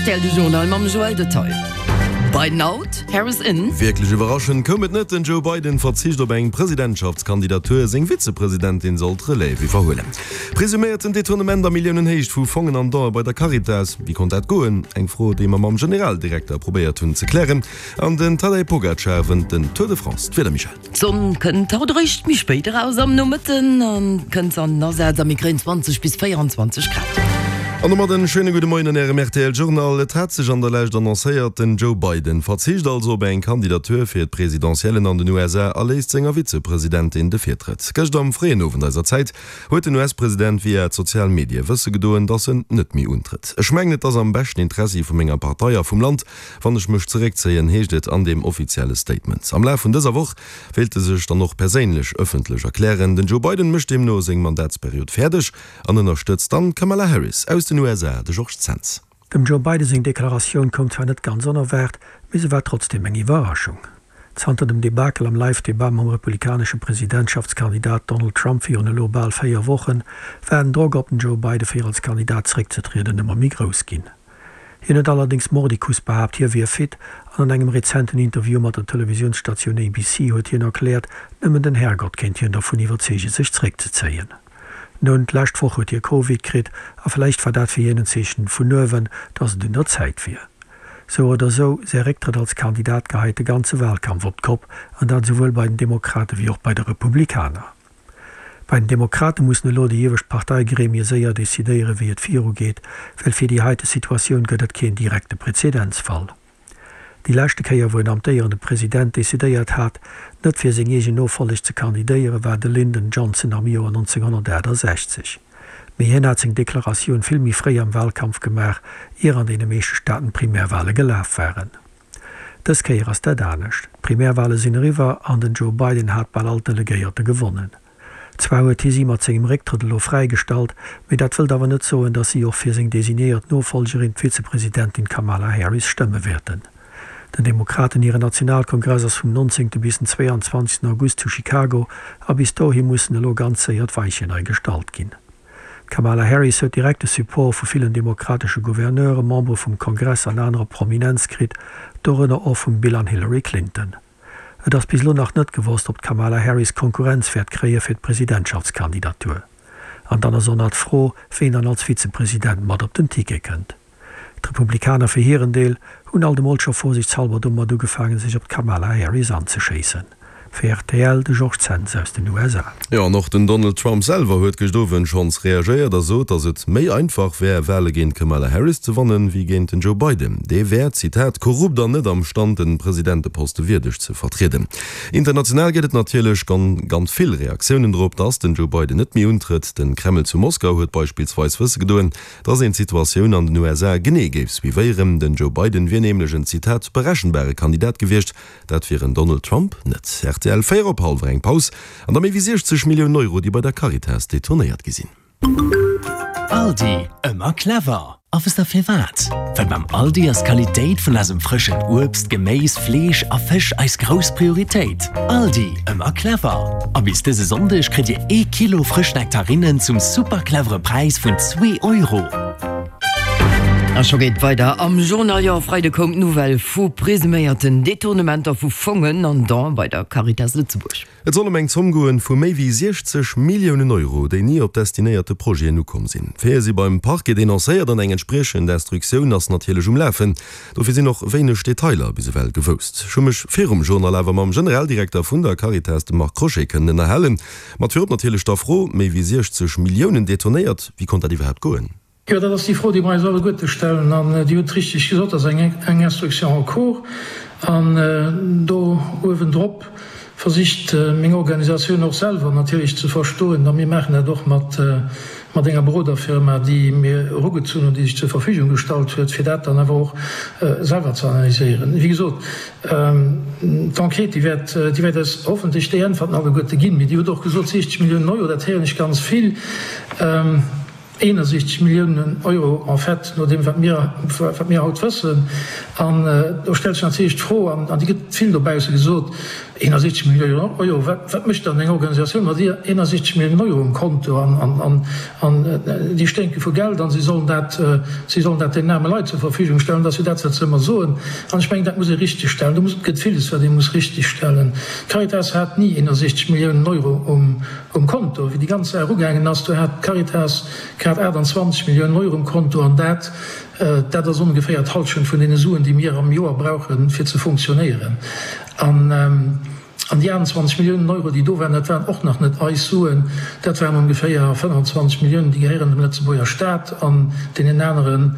Rtl, de Journal mam Joël Detail. Biden out, Harris in. Wierklech iwwerraschend koum et net, Den Joe Biden verzicht op eng Presidentschaftskandidatur, seng Vizepresidentin soll d'Relève iwwerhuelen. Presuméierten Detournement a Milliounenhéicht vu Fongen an Don'e bei der Caritas, Wéi konnt dat goen? Eng Fro, déi mer mam Generaldirekter probéiert hunn ze klären. An den Tadej Pogacar wënnt den Tour de France. D'Wieder, Michèle? D'Sonn kënnt haut eréischt méi spéit eraus, am Nomëtten kënnt se an den Asaz a mir kréien 20 bis 24 Grad. An domat en schéine gudde Moien an Ärem rtl Journal. Et hat sech an der Lescht annoncéiert, den Joe Biden verzicht also op eng Kandidatur fir d'Presidentiellen an den USA a léisst senger Vizepresidentin de Virtrëtt. Gëscht am fréien Owend eiser Zäit huet den US-President via d'sozial Medie wësse gedoen, datt en net méi untrëtt. Ech mengen et ass am beschten Interessi vu menger Partei a vum Land, Wann ech mech zeréckzéien, heescht et an deem offizielle Statement. Am Laf vun dëser Woch wéilt e sech dann och perséinlech ëffentlech erklären. Den Joe Biden mécht deemno seng Mandatsperiod fäerdeg an ënnerstëtzt dann d'Kamala Harris aus den USA. De Georges Zens. Dem Joe Biden seng Deklaratioun koum zwar net ganz onerwaart, mee se war trotzdeem eng Iwwerraschung. Zanter dem Debakel am Live-Debat mam republikanesche Presidentschaftskandidat Donald Trump virun elo bal 4 Wochen, war den Drock op den Joe Biden fir als Kandidat zeréckzetrieden ëmmer méi grouss ginn. Hien huet allerdéngs mordicus behaapt, hie wier fit, an an engem rezenten Interview mat der Televisiounsstatioun ABC huet hien erkläert, nëmmen den Herrgott kéint hien dervun iwwerzeege sech zeréckzezéien. Nun, d'lescht Woch huet hie Covid kritt, a vläicht war dat fir hien en Zeechen vun uewen, datt et un der Zäit wier. Sou oder sou, säi Récktrëtt als Kandidat geheit de ganze Wahlkampf op d'Kopp, an dat esouwuel bei den Demokrate wéi och bei de Republikaner. Bei den Demokrate mussen elo déi iewescht Parteigremie séier decidéieren, wéi et virugeet, well fir déi heite Situatioun gëtt et keen direkte Prezedenzfall. Déi leschte Kéier, wou en amtéierende President decidéiert hat, net fir seng eegen Nofolleg ze kandidéieren, war de Lyndon Johnson am Joer 1968. Mee hien hat seng Deklaratioun vill méi fréi am Walkampf gemaach, ier an deene meeschte Staaten d'Primärwale gelaf waren. Dës Kéier ass dat anescht. D'Primärwale sinn eriwwer an den Joe Biden hat bal all d'Delegéierte gewonnen. Zwar huet hie si mat sengem Récktrëtt elo fräigestallt, mee dat wëllt awer net soen, datt si och fir seng designéiert Nofollgerin, d'Vizepresidentin Kamala Harris, stëmme wäerten. Den Demokraten hiren Nationalkongress ass vum 19. bis den 22. August zu Chicago a bis dohi mussen elo ganz séier d'Weichen nei gestallt ginn. D'Kamala Harris huet direkt de Support vu villen demokratesche Gouverneuren, Membere vum Kongress an anerer Prominenz kritt, dorënner och vum Bill an Hillary Clinton. Et ass bis elo nach net gewosst, ob d'Kamala Harris Konkurrenz wäert kréie fir d'Presidentschaftskandidatur. An dann ass och nach d'Fro, ween dann als Vizepresident mat op den Ticket kënnt. D'Republikaner fir hiren Deel hunn alt emol scho vorsichtshalber domat ugefaangen, sech op d'Kamala Harris anzeschéissen. Fir rtl, de Georges Zens aus den USA. Jo, an och den Donald Trump selwer huet gëscht Owend schonns reagéiert a sot, datt et méi einfach wär, Wale géint d'Kamala Harris ze wannen, wéi géint den Joe Biden. Dee wär, Zitat, korrupt an net am Stand, den Presidenteposte wierdeg ze vertrieden. International gëtt et natierlech ganz vill Reaktiounen drop, datt den Joe Biden net méi untrëtt. Den Kreml zu Moskau huet beispillsweis wësse gedoen, Dass een d'Situatioun an den USA genee géif suivéieren. Den Joe Biden wier nämlech en, Zitat, berechenbare Kandidat gewiescht. Dat wier en Donald Trump net. Rtl, 4 op hallwer eng Paus an da méi wéi 60 Milliounen Euro, déi bei der Caritas detournéiert gi sinn. Aldi, ëmmer clever! A wësst der firwat? Well beim Aldi ass d'Qualitéit vun eisem frëschen Uebst, Geméis, Fleesch a Fësch eis grouss Prioritéit. Aldi, ëmmer clever! A bis dëse Sonndeg kritt Dir ee Kilo frësch Nektarinnen zum super clevere Präis vun zwee Euro. A scho geet weider am Journal. Jo, e Freide koum d'Nouvelle vu presuméierten Detournementer vu Fongen an Don bei der Caritas Lëtzebuerg. Et soll ëm eng Zomm goen vu méi wéi 60 Milliounen Euro, déi ni op destinéierte Projeten ukomm sinn. D'Faite si beim Parquet denoncéiert an eng entspriechend Instruktioun ass natierlech um Lafen. Dofir sinn och wéineg Detailer bis ewell gewousst. Ech hu mech virum Journal awer mam Generaldirekter vun der Caritas, dem Marc Crochet, kënnen ënnerhalen. Mat virop natierlech der Fro, méi wéi 60 Milliounen detournéiert, wéi konnt dat iwwerhaapt goen? Jo, dat ass déi Fro, déi mer eis alleguerte stellen. An Dir hutt richteg gesot, dat ass eng Instruction en cours. An do uewendrop versicht meng Organisatioun och selwer natierlech ze verstoen, a mir maachen dat och mat enger Beroderfirma, déi mir erugezunn hunn, déi sech zur Verfügung gestallt huet, fir dat dann awer och selwer ze analyséieren. Wéi gesot, d'Enquête, déi wäert, déi wäert eis hoffentlech déi Äntwerten alleguerte ginn. Mee Dir hutt och gesot, 60 Milliounen Euro, dat héieren ech ganz vill. 61 Milliounen Euro en fait, no deem wat mir, wat mir haut wëssen. An do stellt sech natierlech d'Fro, an déi gëtt vill dobausse gesot, 61 Milliounen Euro, wat, wat mécht dann eng Organisatioun mat 61 Milliounen Euro um Konto? An, an, an déi sténke vu Geld an si sollen dat, si sollen dat deenen aarme Leit zur Verfügung stellen. Dat ass jo dat, wat se ëmmer soen. An ech mengen, dat muss ee richtegstellen. Do muss, gëtt villes, wat ee muss richtegstellen. D'Caritas hat ni 61 Milliounen Euro um, Um Konto. Wéi déi ganz Saach ugaangen ass, do hat d'Caritas grad 28 Milliounen Euro um Konto, an dat, dat ass ongeféier d'Hallschent vun deene Suen, déi mir am Joer brauchen, fir ze funktionéieren. An, an déi 28 Milliounen Euro, déi do waren, dat waren och nach net eis Suen, dat waren ongeféier 25 Milliounen, déi gehéieren dem Lëtzebuerger Staat an deenen anere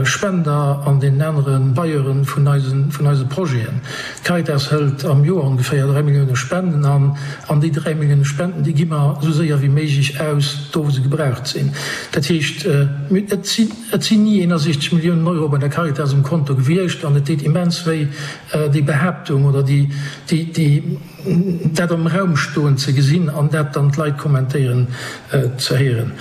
Spender an deenen anere Bailleuren vun eisen, vun eise Projeten. D'Caritas hëlt am Joer ongeféier 3 Millioune Spenden an. An déi 3 Millioune Spenden, déi gi mer esou séier wéi méiglech aus, do wou se gebraucht sinn. Dat heescht, et sinn, et sinn ni 61 Milliounen Euro bei der Caritas um Konto gewiescht. An et deet immens wéi, déi Behaaptung oder déi, déi, déi, dat am Raum stoen ze gesinn an dat dann d'Leit kommentéieren ze héieren.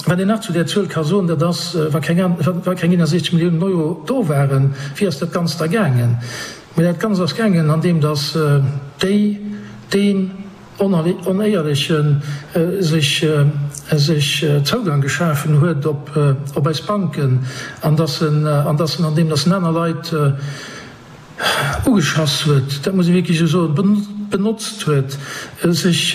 Wat een nach zu där Zuel ka soen, dat ass, wa keng wa keng 61 Milliounen Euro do waren, wéi ass dat Ganzt da gaangen? Mä dat Ganzt ass gaangen, andeem datt déi, deen Onéierleche sech sech Zougang geschafen huet op op eis Banken an datt en an datt en, andeem datt en aner Leit, ugeschass huet, dat muss ee wierklech esou soen, benotzt huet, sech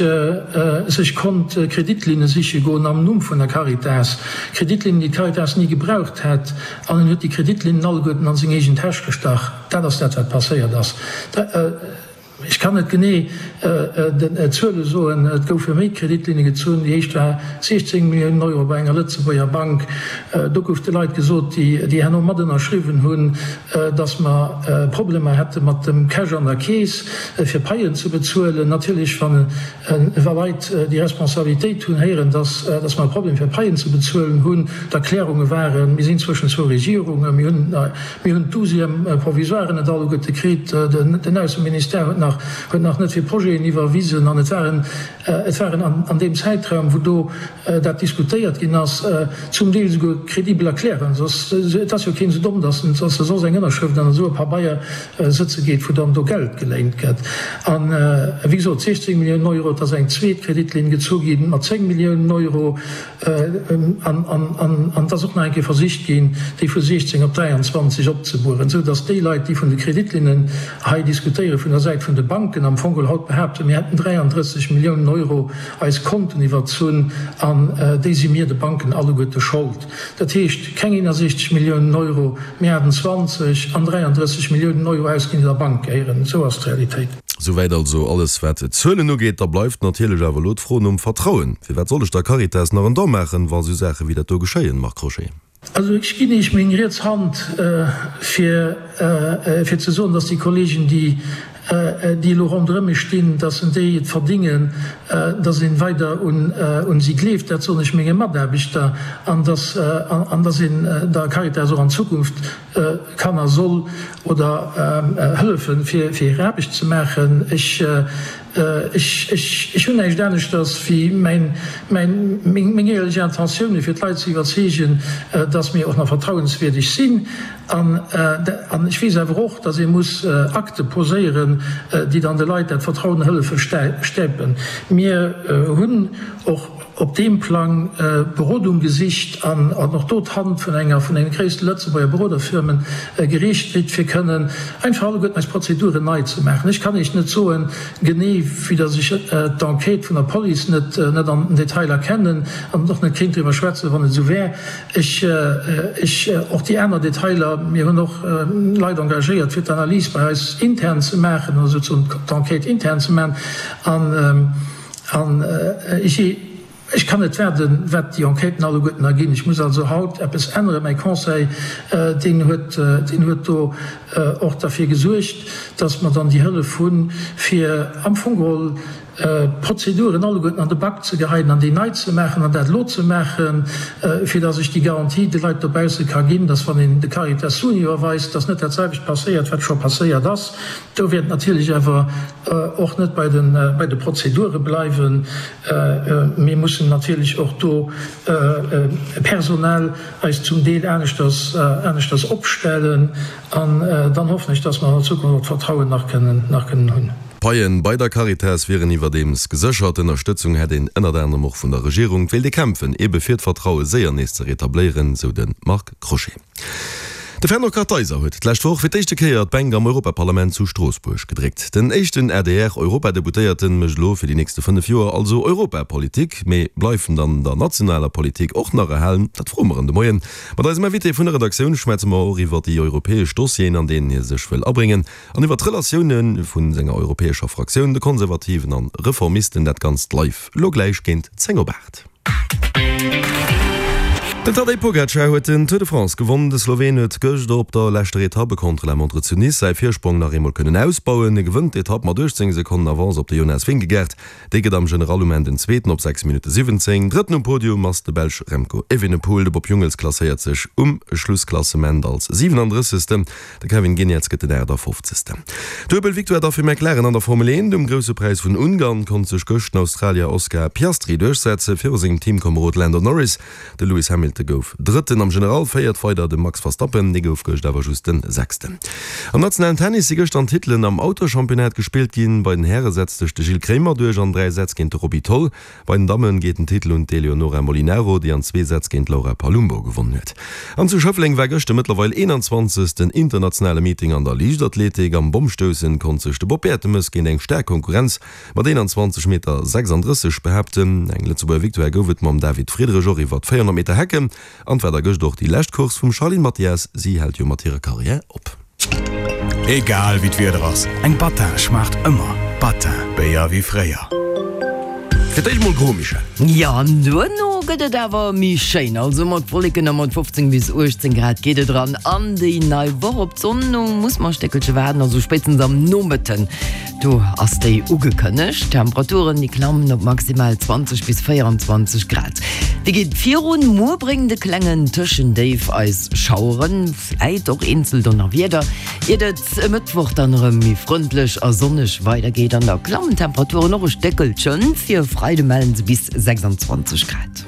sech konnt Kreditlinne siche goen am Numm vun der Caritas, Kreditlinnen, déi d'Caritas ni gebraucht hätt, an en huet déi Kreditlinnen alleguerten an seng eegen Täsch gestach. Dat ass dat, wat passéiert ass. Ech kann net genee d'Zuele soen. Et goufe méi Kreditlinne gezunn. Déi éischt war 16 Milliounen Euro bei enger Lëtzebuerger Bank. Do gouf de Leit gesot, déi herno mat ënnerschriwwen hunn, datt mer Problemer hätte mat dem Cash an der Keess, fir Paien ze bezuelen. Natierlech, wa Leit, déi Responsabilitéit hunn, héieren, datt mer e Problem fir Paien ze bezuelen hunn, d'Erklärunge waren, mir sinn zwëschen zwou Regierungen, mir hunn Mir hunn d'Douzième provisoire net alleguerte kritt. Den Ausseministère huet nach, huet nach net vill Projeten iwwerwisen. An et waren, et waren an deem Zäitraum, wou do dat diskutéiert ginn ass, zum Deel esouguer credibel Erklärungen. Soss, et ass jo keen esou domm, datt en, datt e soss eng Ënnerschrëft an esou e Pabeier sëtze geet, wou dann do Geld geléint gëtt. An, wéi gesot, 16 Milliounen Euro, et ass eng zweet Kreditlinn gezu gi mat 10 Milliounen Euro. An et ass och nach eng Kéier versicht ginn, déi vu 16 op 23 opzebueren, esou datt déi Leit, déi vun de Kreditlinnen hei diskutéieren, vun der Säit vun de Banken am Fong geholl haut behaapten, mir hätten 33 Milliounen Euro eis Konten iwwerzunn an déi si mir de Banken alleguerte schold. Dat heescht, keng 61 Milliounen Euro, mee 28 an 33 Milliounen Euro ausginn, déi der Bank gehéieren. Esou ass d'Realitéit. Souwäit also alles wat d'Zuelen ugeet. Da bleift natierlech awer elo d'Fro nom Vertrauen. Firwat soll ech der Caritas nach en Don maachen, wa sou Saache wéi dat do geschéien, Marc Crochet? Also ech ginn Iech meng riets Hand fir fir ze soen, dass déi Kollegen, déi déi elo ronderëm mech stinn, dass en déi et verdingen, dass een weider un un si gleeft. Dat soen ech menge Mataarbechter an dass an dass een der Caritas och an Zukunft kann a soll oder hëllefen, fir hir Aarbecht ze maachen. Ech, ech, ech, ech hunn näischt aneschters wéi mäin, mäin, meng, meng éierlech Intentioune fir d'Leit ze iwwerzeegen, dass mir och nach vertrauenswierdeg sinn. An, an ech weess awer och, dass ee muss Akte poséieren, déi dann de Leit dat Vertrauen hëllefe stäipen. Mir hunn och op deem Plang Berodung gesicht an och do d'Hand vun enger vun den gréisste Lëtzebuerger Beroderfirmen gereecht kritt, fir kënnen einfach alleguerten eis Prozeduren nei ze maachen. Ech kann Iech net soen, genee, vue dass ech d'Enquête vun der Police net net an den Detailer kennen an och net kéint driwwer schwätzen, wann et esou wär. Ech, ech, och déi aner Detailer, mir hunn och Leit engagéiert, fir d'Analys bei eis intern ze maachen, also sozusagen d'Enquête intern ze maachen. An, An ech kann net waarden, wat déi Enquêten alleguerten erginn. Ech muss also haut eppes änneren. Mäi Conseil, deen huet, deen huet do och derfir gesuergt, dass mer dann déi Hëllef hunn, fir am Fong geholl. d'Prozeduren alleguerten an de Bak ze geheien an déi nei ze maachen an dat elo ze maachen, fir dass ech déi Garantie de Leit dobausse ka ginn, dass wann een de Caritas Suen iwwerweist, dass net dat selwecht passéiert, wat scho passéiert ass. Do wäert natierlech awer och net bei de Prozedure bleiwen. Mir mussen natierlech och do personell eis zum Deel aneschters aneschters opstellen. An dann hoffen ech, dass mer an der Zukunft och d'Vertrauen nach kënnen nach kënnen hunn. D'Paien bei der Caritas wieren iwwerdeems geséchert. Ënnerstëtzung hätt een ënnert anerem och vun der Regierung. Et wéilt ee kämpfen, ebe fir d'Vertraue séier nees ze retabléieren, sou de Marc Crochet. De Fernand Kartheiser huet d'lescht Woch fir d'éischte Kéier d'Bänk am Europaparlament zu Stroossbuerg gedréckt. Den éischten ADR-Europadeputéierten mécht elo fir déi nächste 5 Joer also Europapolitik. Mee bleift en dann der nationaler Politik och nach erhalen? Dat froe mer en de Moien. Mat eisem Invité vun der Redaktioun schwätze mer och iwwer déi europäesch Dossieren, an deenen hie sech wëll abréngen, an iwwer d'Relatioune vu senger europäescher Fraktioun, de Konservativen an Reformisten. Dat Ganzt live elo gläich géint 10 op 8. Den Tadej Pogacar huet den Tour de France gewonn. De Sloween huet gëscht op der leschter Etapp e Contre-la-montre zu Nice säi Virsprong nach eemol kënnen ausbauen. E gewënnt d'Etapp mat 18 Sekonnen Avance op de Jonas Vingegaard. Dee gëtt am General um Enn den Zweeten op 6 Minutte 17. Drëtten um Podium ass de Belsch Remco Evenepoel. De Bob Jungels klasséiert sech um Schlussklassement als 37. De Kevin Geniets gëtt den 58. Duebel Victoire da fir McLaren an der Formel 1. Um Grousse Präis vun Ungarn konnt sech gëscht den Australier Oscar Piastri duerchsetze viru sengem Teamkomerod Lando Norris. De Lewis Hamilton gouf Drëtten. Am General féiert weider de Max Verstappen, dee gouf gëscht awer just den Sechsten. Am nationalen Tennis si gëscht an Titelen am Autoschampionnat gespillt ginn. Bei den Häre setzt sech de Gilles Kremer duerch an 3 Sätz géint de Roby Tholl. Bei den Damme geet den Titel un d'Eleonora Molinaro, déi an zwee Sätz géint d'Laura Palumbo gewonnen huet. An zu Schëffleng war gëscht de mëttlerweil 21. internationale Meeting an der Liichtathletik. Am Bommstoussen konnt sech de Bob Bertemes géint eng staark Konkurrenz mat 21 Meter 36 behaapten. Eng Lëtzebuerger Victoire gouf et mam David Friedrich och iwwer 400 Meter Hecken. An et war da gëscht och déi lescht Course vum Charline Mathias, si hält jo mat hirer Karriär op. Egal wéi d'Wieder ass, eng Battin schmaacht ëmmer. Battin, Béier wéi fréier. Fir d'éischt mol gro, Michèle. Jo, an duerno gëtt et awer méi schéin. Also mat Wolleken a mat 15 bis 18 Grad geet et eran an déi nei Woch. Op d'Sonn no muss mer e Stéckelche waarden, also spéitstens am Nomëtten. Do ass déi ugekënnegt. D'Temperaturen déi klammen op maximal 20 bis 24 Grad. Wéi geet et virun? Muer bréngt e klengen Tëschendéif eis Schaueren, vläit och eenzel Donnerwieder, iert et e Mëttwoch dann erëm méi frëndlech a sonneg weidergeet. An da klammen d'Temperaturen och e Stéckelchen, fir e Freide mellen se bis 26 Grad.